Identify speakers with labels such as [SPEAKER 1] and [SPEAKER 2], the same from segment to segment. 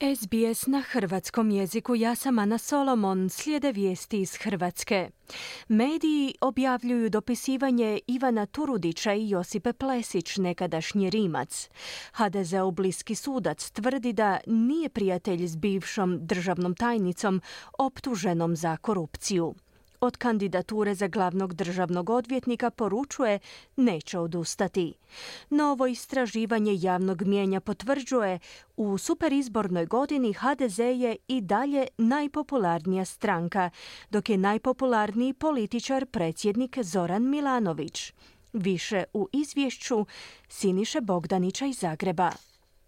[SPEAKER 1] SBS na hrvatskom jeziku. Ja sam Ana Solomon. Slijede vijesti iz Hrvatske. Mediji objavljuju dopisivanje Ivana Turudića i Josipe Plesić, nekadašnji Rimac. HDZ-ov bliski sudac tvrdi da nije prijatelj s bivšom državnom tajnicom optuženom za korupciju. Od kandidature za glavnog državnog odvjetnika poručuje neće odustati. Novo istraživanje javnog mnijenja potvrđuje u superizbornoj godini HDZ je i dalje najpopularnija stranka, dok je najpopularniji političar predsjednik Zoran Milanović. Više u izvješću Siniše Bogdanića iz Zagreba.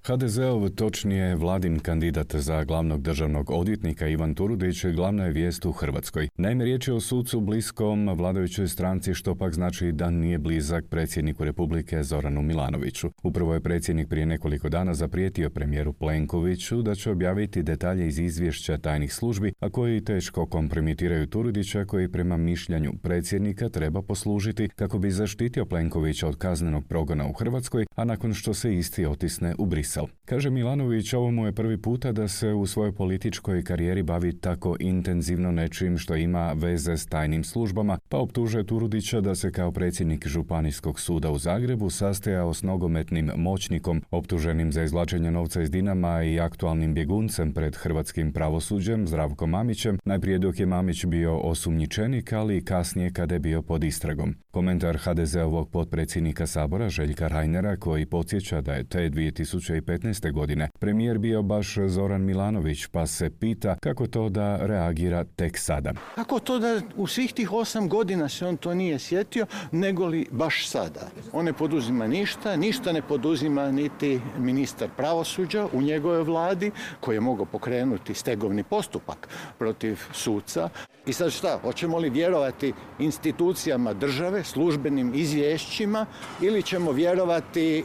[SPEAKER 2] HDZ-ov, točnije vladin kandidat za glavnog državnog odvjetnika Ivan Turudić glavna je vijest u Hrvatskoj. Naime, riječ je o sucu bliskom vladajućoj stranci, što pak znači da nije blizak predsjedniku Republike Zoranu Milanoviću. Upravo je predsjednik prije nekoliko dana zaprijetio premijeru Plenkoviću da će objaviti detalje iz izvješća tajnih službi, a koji teško kompromitiraju Turudića, koji prema mišljenju predsjednika treba poslužiti kako bi zaštitio Plenkovića od kaznenog progona u Hrvatskoj, a nakon što se isti otisne u Brisel. Kaže Milanović, ovo mu je prvi puta da se u svojoj političkoj karijeri bavi tako intenzivno nečim što ima veze s tajnim službama, pa optužuje Turudića da se kao predsjednik Županijskog suda u Zagrebu sastajao s nogometnim moćnikom optuženim za izvlačenje novca iz Dinama i aktualnim bjeguncem pred hrvatskim pravosuđem Zdravkom Mamićem, najprije dok je Mamić bio osumnjičenik, ali i kasnije kada je bio pod istragom. Komentar HDZ-ovog potpredsjednika Sabora Željka Reinera, koji podsjeća da je te 2015. godine premijer bio baš Zoran Milanović, pa se pita kako to da reagira tek sada.
[SPEAKER 3] Kako to da u svih tih 8 godina se on to nije sjetio, nego li baš sada? On ne poduzima ništa ne poduzima niti ministar pravosuđa u njegovoj vladi, koji je mogao pokrenuti stegovni postupak protiv suca. I sad šta, hoćemo li vjerovati institucijama države, službenim izvješćima, ili ćemo vjerovati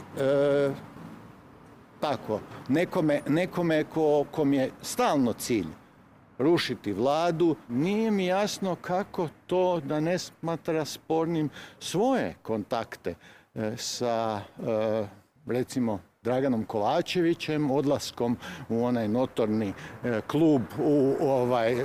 [SPEAKER 3] nekome kom je stalno cilj rušiti vladu? Nije mi jasno kako to da ne smatra spornim svoje kontakte sa recimo Draganom Kovačevićem, odlaskom u onaj notorni klub u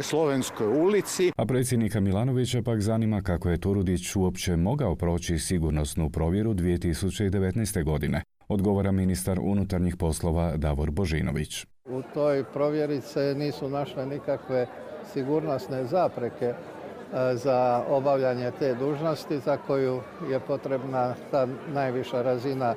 [SPEAKER 3] Slovenskoj ulici.
[SPEAKER 2] A predsjednika Milanovića pak zanima kako je Turudić uopće mogao proći sigurnosnu provjeru 2019. godine. Odgovara ministar unutarnjih poslova Davor Božinović.
[SPEAKER 4] U toj provjeri se nisu našle nikakve sigurnosne zapreke za obavljanje te dužnosti za koju je potrebna ta najviša razina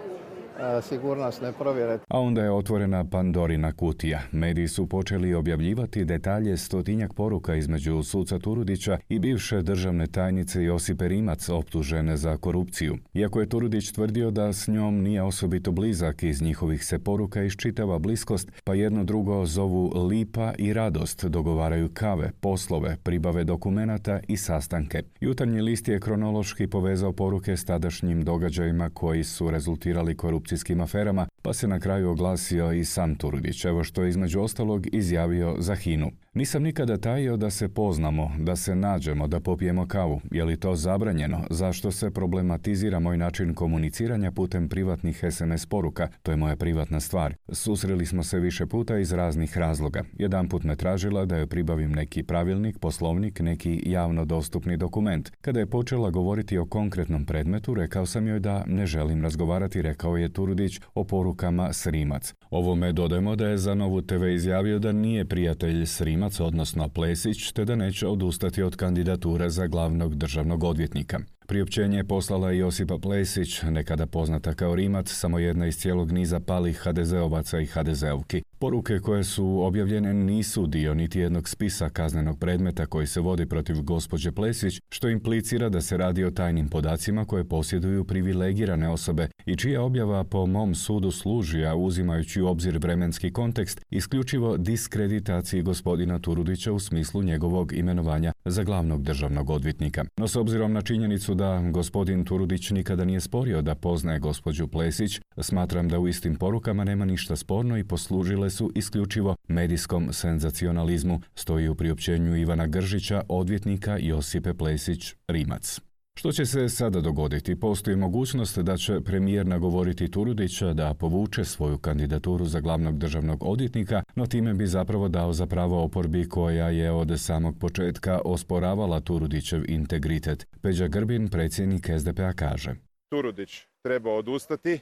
[SPEAKER 4] sigurnosne provjere.
[SPEAKER 2] A onda je otvorena Pandorina kutija. Mediji su počeli objavljivati detalje 100-tinjak poruka između suca Turudića i bivše državne tajnice Josipe Rimac, optužene za korupciju. Iako je Turudić tvrdio da s njom nije osobito blizak, iz njihovih se poruka iščitava bliskost, pa jedno drugo zovu lipa i radost, dogovaraju kave, poslove, pribave dokumenata i sastanke. Jutarnji list je kronološki povezao poruke s tadašnjim događajima koji su rezultirali korupcijskim aferama, pa se na kraju oglasio i sam Turudić, evo što je između ostalog izjavio za HINA-u. Nisam nikada tajio da se poznamo, da se nađemo, da popijemo kavu. Je li to zabranjeno? Zašto se problematizira moj način komuniciranja putem privatnih SMS poruka? To je moja privatna stvar. Susreli smo se više puta iz raznih razloga. Jedanput me tražila da joj pribavim neki pravilnik, poslovnik, neki javno dostupni dokument. Kada je počela govoriti o konkretnom predmetu, rekao sam joj da ne želim razgovarati, rekao je Turudić o porukama s Rimac. Ovome dodajemo da je za Novu TV izjavio da nije prijatelj s Rimac, odnosno Plesić, te da neće odustati od kandidature za glavnog državnog odvjetnika. Priopćenje je poslala i Josipa Plesić, nekada poznata kao Rimac, samo jedna iz cijelog niza palih HDZ-ovaca i HDZ-ovki. Poruke koje su objavljene nisu dio niti jednog spisa kaznenog predmeta koji se vodi protiv gospođe Plesić, što implicira da se radi o tajnim podacima koje posjeduju privilegirane osobe i čija objava po mom sudu služi, a uzimajući u obzir vremenski kontekst, isključivo diskreditaciji gospodina Turudića u smislu njegovog imenovanja za glavnog državnog odvjetnika. No s obzirom na činjenicu da gospodin Turudić nikada nije sporio da poznaje gospođu Plesić, smatram da u istim porukama nema ništa sporno i poslužile su isključivo medijskom senzacionalizmu, stoji u priopćenju Ivana Gržića, odvjetnika Josipe Plesić Rimac. Što će se sada dogoditi? Postoji mogućnost da će premijer nagovoriti Turudića da povuče svoju kandidaturu za glavnog državnog odvjetnika, no time bi zapravo dao za pravo oporbi koja je od samog početka osporavala Turudićev integritet. Peđa Grbin, predsjednik SDP-a, kaže:
[SPEAKER 5] Turudić treba odustati,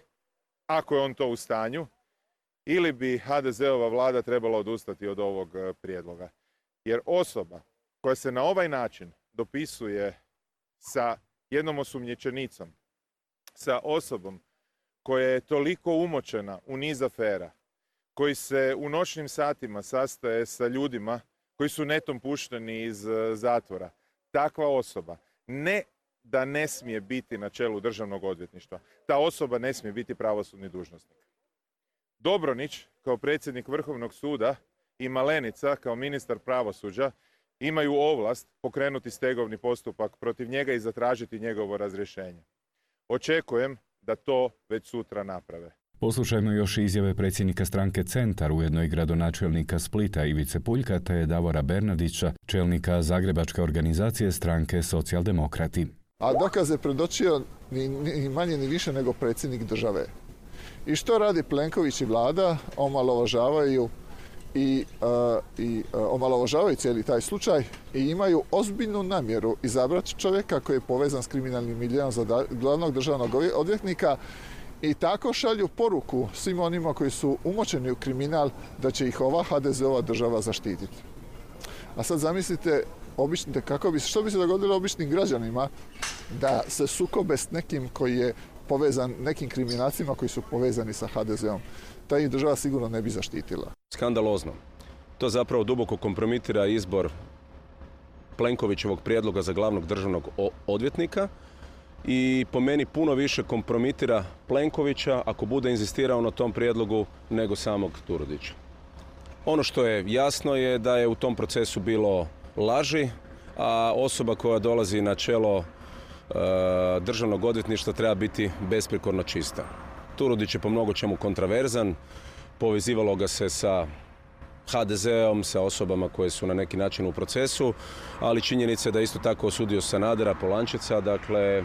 [SPEAKER 5] ako je on to u stanju, ili bi HDZ-ova vlada trebala odustati od ovog prijedloga. Jer osoba koja se na ovaj način dopisuje sa jednom osumnjičenicom, sa osobom koja je toliko umočena u niz afera, koji se u noćnim satima sastaje sa ljudima koji su netom pušteni iz zatvora, takva osoba ne da ne smije biti na čelu državnog odvjetništva, ta osoba ne smije biti pravosudni dužnosnik. Dobronić kao predsjednik Vrhovnog suda i Malenica kao ministar pravosuđa imaju ovlast pokrenuti stegovni postupak protiv njega i zatražiti njegovo razrješenje. Očekujem da to već sutra naprave.
[SPEAKER 2] Poslušajmo još izjave predsjednika stranke Centar, ujedno i gradonačelnika Splita Ivice Puljka, te Davora Bernardića, čelnika zagrebačke organizacije stranke Socijaldemokrati.
[SPEAKER 6] A dokaze predočio ni manje ni više nego predsjednik države. I što radi Plenković i vlada? Omalovažavaju omalovažavaju cijeli taj slučaj i imaju ozbiljnu namjeru izabrati čovjeka koji je povezan s kriminalnim miljeom za glavnog državnog odvjetnika i tako šalju poruku svim onima koji su umočeni u kriminal da će ih ova HDZ-ova država zaštititi. A sad zamislite što bi se dogodilo običnim građanima da se sukobe s nekim koji je povezan, nekim kriminalcima koji su povezani sa HDZ-om. Ta ih država sigurno ne bi zaštitila.
[SPEAKER 7] Skandalozno. To zapravo duboko kompromitira izbor Plenkovićevog prijedloga za glavnog državnog odvjetnika i po meni puno više kompromitira Plenkovića ako bude inzistirao na tom prijedlogu nego samog Turudića. Ono što je jasno je da je u tom procesu bilo laži, a osoba koja dolazi na čelo državnog odvjetništva treba biti besprijekorno čista. Turudić je po mnogo čemu kontraverzan, povezivalo ga se sa HDZ-om, sa osobama koje su na neki način u procesu, ali činjenica je da isto tako osudio Sanadera, Polančeca, dakle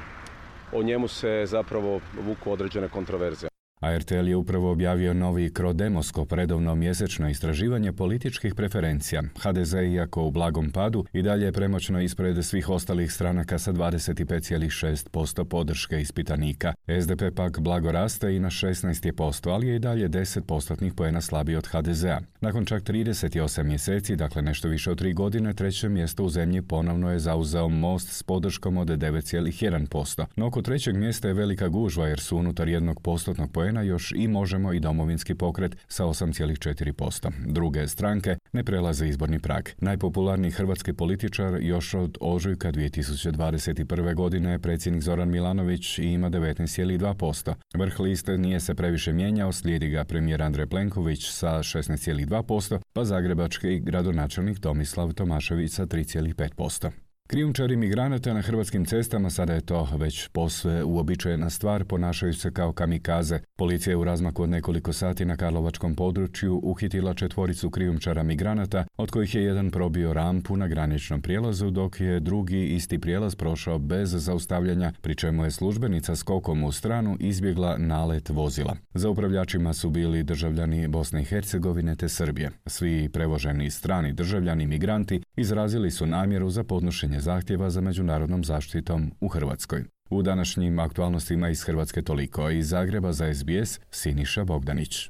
[SPEAKER 7] o njemu se zapravo vuku određene kontraverze.
[SPEAKER 2] A RTL je upravo objavio novi Crodemoskop, redovno mjesečno istraživanje političkih preferencija. HDZ, iako u blagom padu, i dalje je premoćno ispred svih ostalih stranaka sa 25,6% podrške ispitanika. SDP pak blago raste i na 16%, ali je i dalje 10% poena slabiji od HDZ-a. Nakon čak 38 mjeseci, dakle nešto više od 3 godine, treće mjesto u zemlji ponovno je zauzeo Most s podrškom od 9,1%. No oko trećeg mjesta je velika gužva jer su unutar 1% poena još i Možemo i Domovinski pokret sa 8,4%. Druge stranke ne prelaze izborni prag. Najpopularniji hrvatski političar još od ožujka 2021. godine je predsjednik Zoran Milanović i ima 19,2%. Vrh liste nije se previše mijenjao, slijedi ga premijer Andrej Plenković sa 16,2%, pa zagrebački gradonačelnik Tomislav Tomašević sa 3,5%. Krijumčari migranata na hrvatskim cestama sada je to već posve uobičajena stvar, ponašaju se kao kamikaze. Policija je u razmaku od nekoliko sati na karlovačkom području uhitila 4 krijumčara migranata, od kojih je jedan probio rampu na graničnom prijelazu, dok je drugi isti prijelaz prošao bez zaustavljanja, pri čemu je službenica skokom u stranu izbjegla nalet vozila. Za upravljačima su bili državljani Bosne i Hercegovine te Srbije. Svi prevoženi strani državljani migranti izrazili su namjeru za podnošenje zahtjeva za međunarodnom zaštitom u Hrvatskoj. U današnjim aktualnostima iz Hrvatske toliko, a iz Zagreba za SBS Siniša Bogdanić.